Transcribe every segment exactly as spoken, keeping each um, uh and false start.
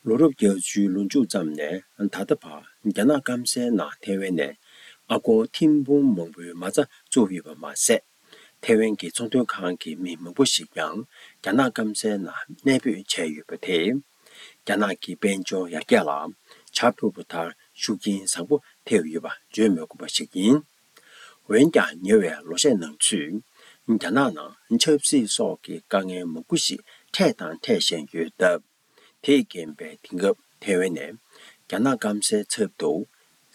ལོ་རབས་བརྒྱད་ཅུའི་ལོ་མཇུག་ཙམ་ནས་ད་ལྟ་བར་རྒྱ་ནག་སྐམ་སའི་ནང་ཐེ་ཝན་ནས་ཨ་སྒོར་ཐེར་འབུམ་མང་པོའི་མ་རྩ་བཙུགས་ཡོད་པ་མ་ཟད། ཐེ་ཝན་གྱི་ཚོང་དོན་ཁང་གི་མི་མང་པོ་ཞིག་ཀྱང་རྒྱ་ནག་སྐམ་སའི་ནང་གནས་སྤོས་བྱས་ཡོད་པ་དེས། རྒྱ་ནག་གི་དཔལ་འབྱོར་ཡར་རྒྱས་ལ་བྱ་ཕོད་པ་ལྟར་ཤུགས་རྐྱེན་བཟང་པོ་ཐེབས་ཡོད་པ་བརྗོད་མི་དགོས་པ་ཞིག་ཡིན། འོན་ཀྱང་ཉེ་བའི་ལོ་ཤས་ནང་ཚུད། རྒྱ་ནག་ནང་ཆབ་སྲིད་སོགས་ཀྱི་དཀའ་ངལ་མང་པོ་ཞིག་འཕྲད་དང་འཕྲད་བཞིན་ཡོད་སྟབས། དེས་རྐྱེན་པས་དེང་སྐབས་ཐེ་ཝན་ནས་རྒྱ་ནག་སྐམ་སའི་ཚབ་ཏུ་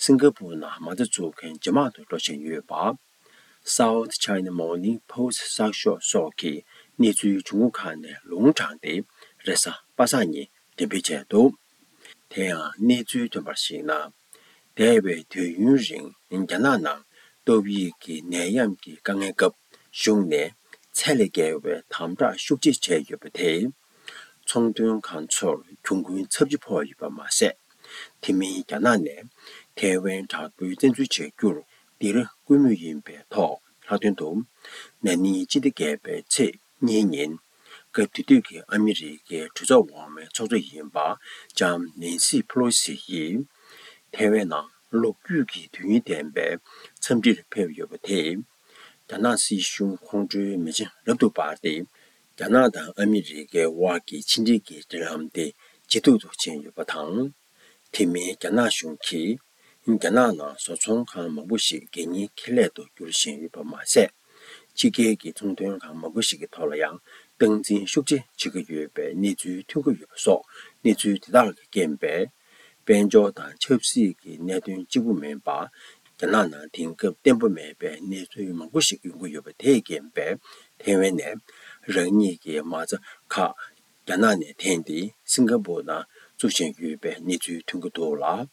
སིང་ག་པུར་ནང་མ་རྩ་འཛུགས་མཁན་ཇེ་མང་དུ་འགྲོ་བཞིན་ཡོད་པ། South China Morning Post གསར་ཤོག་སོགས་ཀྱི་གནས་ཚུལ་བྱུང་ཁུངས་ཁག་ནས་ལུང་དྲངས་ཏེ་རེས་གཟའ་པ་སངས་ཉིན་འགྲེམས་སྤེལ་བྱས་འདུག་དེ་ཡང་གནས་ཚུལ་ཐོན་པར་གཞིགས་ན། འདས་པའི་དུས་ཡུན་རིང་རྒྱ་ནག་ནང་ཏོག་དབྱིབས་ཀྱི་ནད་ཡམས་ཀྱི་དཀའ་ངལ་སྐབས་གཞུང་ནས་ཚད་ལས་བརྒལ་བའི་དམ་དྲག་ཤུགས་ཆེ་བྱས་ཡོད་པ་དེས། ཚོང་དོན་ཁང་ཚོར་གྱོང་གུན་ཚབས་ཆེ་ཕོག་ཡོད་པ་མ་ཟད། དེ་མིན་རྒྱ་ནག་ནས་ཐའེ་ཝན་དྲག་པོའི་བཙན་འཛུལ་བྱ་རྒྱུར་འདིར་སྐུལ་མུས་ཡིན་པའི་ཐོག་ལྷག་དོན་དུ། ན་ནིང་སྤྱི་ཟླ་བརྒྱད་པའི་ཚེས་གཉིས་ཉིན། སྐབས་དེ་དུས་ཀྱི་ཨ་མི་རི་ཀའི་གྲོས་ཚོགས་འོག་མའི་ཚོགས་གཙོ་ཡིན་པ་ལྕམ་ནེན་སི་ཕེ་ལོ་སི་ཡིས། ཐའེ་ཝན་ནང་ལོ་རྒྱུས་ཀྱི་དུས་ཡུན་ལྡན་པའི་འཚམས་འདྲིར་ཕེབས་ཡོད་པ་དེས། རྒྱ་ནག་སྲིད་གཞུང་ཁོང་ཁྲོའི་མེ་ལྕེ་རབ་ཏུ་འབར་ཏེ། རྒྱ་ནག་དང་ཨ་མི་རི་ཀའི་དབར་གྱི་ཕྱི་འབྲེལ་གྱི་འབྲེལ་ལམ་དེ་ཇེ་སྡུག་ཏུ་ཕྱིན་ཡོད་པ་དང་། དེ་མིན་རྒྱ་ནག་གཞུང་གིས་རྒྱ་ནག་ནང་བཟོ་ཚོང་ཁང་མང་པོ་ཞིག་གད་སྙིགས་ཁེ་ལས་དུ་བསྒྱུར་བཞིན་ཡོད་པ་མ་ཟད། ཕྱི་རྒྱལ་གྱི་ཚོང་དོན་ཁང་མང་པོ་ཞིག་གི་ཐོག་ལ་ཡང་སྟངས་འཛིན་ཤུགས་ཆེ་བྱེད་ཀྱི་ཡོད་པའི་གནས་ཚུལ་ཐོན་གྱི་ཡོད་པ་སོགས་གནས་ཚུལ་དེ་དག་གིས་རྐྱེན་པས། དཔལ་འབྱོར་དང་ཆབ་སྲིད་ཀྱི་གནད་དོན་གཅིག་པུ་མིན་པར། རྒྱ་ནག་ནང་དེང་སྐབས་བརྟན་པོ་མེད་པའི་གནས་ཚུལ་མང་པོ་ཞིག་ཡོང་གི་ཡོད་པ་དེས་རྐྱེན་པས། ཐའེ་ཝན་ནས་རང་ཉིད་ཀྱི་མ་རྩ་ཁག་རྒྱ་ནག་ནས་འཐེན་ཏེ་སིང་ག་པུར་ནང་བཙུགས་བཞིན་ཡོད་པའི་གནས་ཚུལ་ཐོན་གྱི་འདུག་ལ།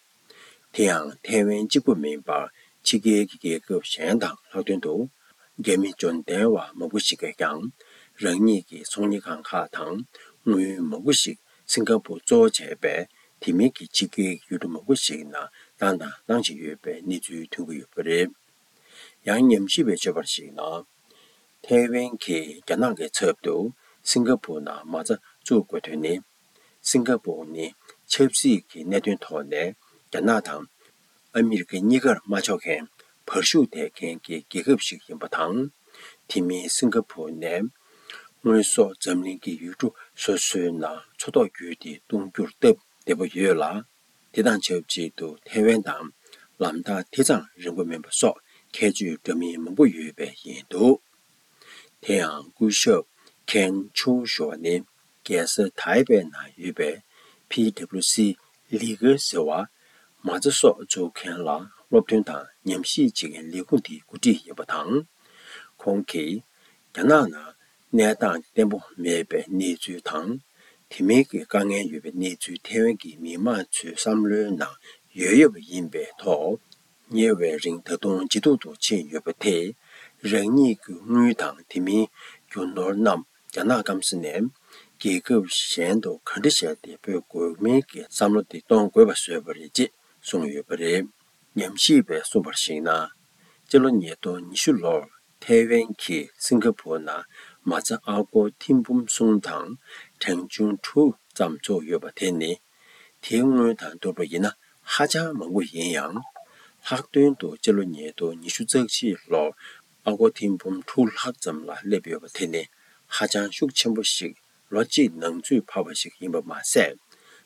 དེ་ཡང་ཐའེ་ཝན་གཅིག་པུ་མིན་པར་ཕྱི་རྒྱལ་གྱི་རྒྱལ་ཁབ་གཞན་དང་ལྷག་དོན་དུ། རྒྱ་མི་འབྱོར་ལྡན་བ་མང་པོ་ཞིག་གིས་ཀྱང་རང་ཉིད་ཀྱི་ཚོང་གཉེར་ཁང་ཁག་དང་དངུལ་མང་པོ་ཞིག་སིང་ག་པུར་གཙོ་བོ་བྱས་པའི་དེ་མིན་གྱི་ཕྱི་རྒྱལ་གྱི་ཡུལ་གྲུ་མང་པོ་ཞིག་ནང་བཏང་དང་གཏང་བཞིན་ཡོད་པའི་གནས་ཚུལ་ཐོན་གྱི་ཡོད་པ་རེད། ཡང་ཉམས་ཞིབ་པས་བརྗོད་པར་གཞིགས་ན། ཐའེ་ཝན་གྱིས་རྒྱ་ནག་གི་ཚབ་ཏུ་སིང་ག་པུར་ནང་མ་རྩ་བཙུགས་དགོས་དོན་ནི། སིང་ག་པུར་ནི་ཆབ་སྲིད་ཀྱི་གནད་དོན་ཐོག་ནས་རྒྱ་ནག་དང་ཨ་མི་རི་ཀ་གཉིས་ཀར་དམའ་ཕྱོགས་མཁན་བར་ཞུགས་བསྡད་མཁན་གྱི་རྒྱལ་ཁབ་ཞིག་ཡིན་པ་དང་། དེ་མིན་སིང་ག་པུར་ནས་དངོས་ཟོག་འཛམ་གླིང་གི་ཡུལ་གྲུ་སོ་སོའི་ནང་མཚོ་ཐོག་བརྒྱུད་དེ་གཏོང་རྒྱུར་སྟབས་བདེ་པོ་ཡོད་ལ། དེ་དང་ཆབས་ཅིག་ཏུ་ཐའེ་ཝན་དང་ལམ་ཐག་དེ་ཙམ་རིང་པོ་མིན་པ་སོགས་ཁྱད་ཆོས་འདྲ་མིན་མང་པོ་ཡོད་པས་ཡིན་འདུག་དེ་ཡང་སྐུ་ཞབས་ཁེན་ཆུའུ་ཞུ་བ་ནི་རྒྱལ་ས་ཐའེ་པེ་ནང་ཡོད་པའི་ཕི་ཌབ་ལུ་སི་ལི་གེ་ཟེར་བ། མ་རྩ་སོགས་འཛུགས་མཁན་ལ་སློབ་སྟོན་དང་ཉམས་ཞིབ་བྱེད་མཁན་ལས་ཁུངས་དེའི་འགོ་ཁྲིད་ཡིན་པ་དང་། ཁོང་གིས་རྒྱ་ནག་ནང་གནས་སྟངས་བརྟན་པོ་མེད་པའི་གནས་ཚུལ་དང་། དེ་མིན་གྱི་དཀའ་ངལ་ཡོད་པའི་གནས་ཚུལ་ཐའེ་ཝན་གྱི་མི་མང་ཚོའི་བསམ་བློའི་ནང་ཡོད་ཡོད་པ་ཡིན་པའི་ཐོག་ཉེ་བའི་རིང་ད་དུང་ཇེ་སྡུག་ཏུ་ཕྱིན་ཡོད་པ་དེས། རང་ཉིད་ཀྱི་དངུལ་དང་དེ་མིན་རྒྱུ་ནོར་རྣམས་རྒྱ་ནག་སྐམ་ས་ནས་རྒྱལ་ཁབ་གཞན་དུ་ག་འདྲ་བྱས་ཏེ་སྤོ་དགོས་མིན་གྱི་བསམ་བློ་དེ་གཏོང་དགོས་པ་བཟོས་པ་རེད་ཅེས་གསུངས་ཡོད་པ་རེད། ཉམས་ཞིབ་པས་གསུངས་པར་གཞིགས་ན། སྤྱི་ལོ་ཉིས་སྟོང་ཉི་ཤུ་ལོར་ཐའེ་ཝན་གྱིས་སིང་ག་པུར་ནང་མ་རྩ་ཨ་སྒོར་ཐེར་འབུམ་གསུམ་དང་གྲངས་ཆུང་དྲུག་ཙམ་བཙུགས་ཡོད་པ་དེ་ནི། དེའི་དངུལ་དང་བསྡུར་བ་ཡིན་ན་ཧ་ཅང་མང་པོ་ཡིན་ཡང་། ལྷག་དོན་དུ་སྤྱི་ལོ་ཉིས་སྟོང་ཉི་ཤུ་རྩ་གཅིག་ལོར་ཨ་སྒོར་ཐེར་འབུམ་དྲུག་ལྷག་ཙམ་ལ་སླེབས་ཡོད་པ་དེ་ནི་ཧ་ཅང་ཤུགས་ཆེན་པོ་ཞིག་ལོ་གཅིག་ནང་ཚུད་འཕར་བ་ཞིག་ཡིན་པ་མ་ཟད།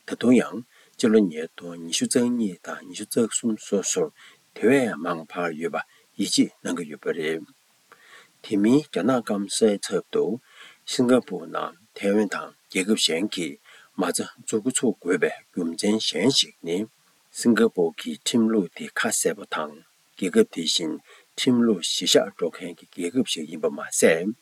ད་དུང་ཡང་སྤྱི་ལོ་ཉིས་སྟོང་ཉི་ཤུ་རྩ་གཉིས་དང་ཉི་ཤུ་རྩ་གསུམ་སོ་སོར་དེ་བས་མང་འཕར་ཡོད་པ་ཡིད་ཆེས་གནང་གི་ཡོད་པ་རེད། དེ་མིན་རྒྱ་ནག་སྐམ་སའི་ཚབ་ཏུ་སིང་ག་པུར་ནང་ཐའེ་ཝན་དང་རྒྱལ་ཁབ་གཞན་གྱིས་མ་རྩ་འཛུགས་འགོ་ཚུགས་དགོས་པའི་རྒྱུ་མཚན་གཞན་ཞིག་ནི། སིང་ག་པུར་གྱི་ཁྲིམས་ལུགས་དེ་ཁ་གསལ་པོ་དང་། རྒྱལ་ཁབ་དེ་བཞིན་ཁྲིམས་ལུགས་གཞིར་བཞག་འགྲོ་མཁན་གྱི་རྒྱལ་ཁབ་ཞིག་ཡིན་པ་མ་ཟད།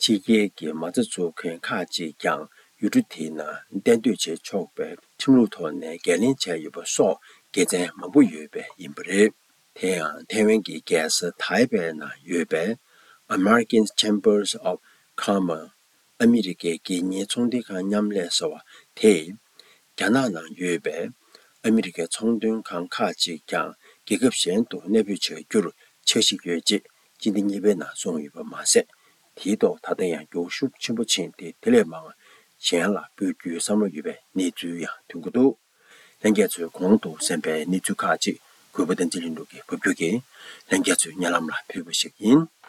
ཕྱི་རྒྱལ་གྱི་མ་རྩ་འཛུགས་མཁན་ཁག་ཅིག་ཀྱང་ཡུལ་གྲུ་དེའི་ནང་གཏན་སྡོད་བྱེད་ཆོག་པའི་ཁྲིམས་ལུགས་ཐོག་ནས་འགན་ལེན་བྱས་ཡོད་པ་སོགས་དགེ་མཚན་མང་པོ་ཡོད་པས་ཡིན་པ་རེད། དེ་ཡང་ཐའེ་ཝན་གྱི་རྒྱལ་ས་ཐའེ་པེ་ནང་ཡོད་པའི་American Chambers of Commerce། ཨ་མི་རི་ཀའི་སྒེར་གཉེར་ཚོང་འབྲེལ་ཁང་མཉམ་ལས་ཟེར་བ་དེས། རྒྱ་ནག་ནང་ཡོད་པའི་ཨ་མི་རི་ཀའི་ཚོང་དོན་ཁང་ཁག་ཅིག་ཀྱང་རྒྱལ་ཁབ་གཞན་དུ་གནས་སྤོས་བྱ་རྒྱུར་འཆར་གཞི་ཡོད་ཅེས་སྤྱི་ཟླ་གཉིས་པའི་ནང་གསུངས་ཡོད་པ་མ་ཟད། དེའི་ཐོག་ད་ལྟ་ཡང་འགྱུར་ཤུགས་ཆེན་པོ་ཕྱིན་ཏེ། དེ་ལས་མང་ གཞན་ལ་སྤོ་རྒྱུའི་བསམ་བློ་ཡོད་པའི་གནས་ཚུལ་ཡང་ཐོན་གྱི་འདུག། ལྷན་རྒྱས་ཚོས་གོང་དུ་གསན་པའི་གནས་ཚུལ་ཁག་ཅིག་གུས་པ་བསྟན་འཛིན་ལྷུན་གྲུབ་ཀྱིས་ཕབ་སྒྱུར་གྱིས་ལྷན་རྒྱས་ཚོའི་སྙན་ལམ་ལ་ཕུལ་བ་ཞིག་ཡིན།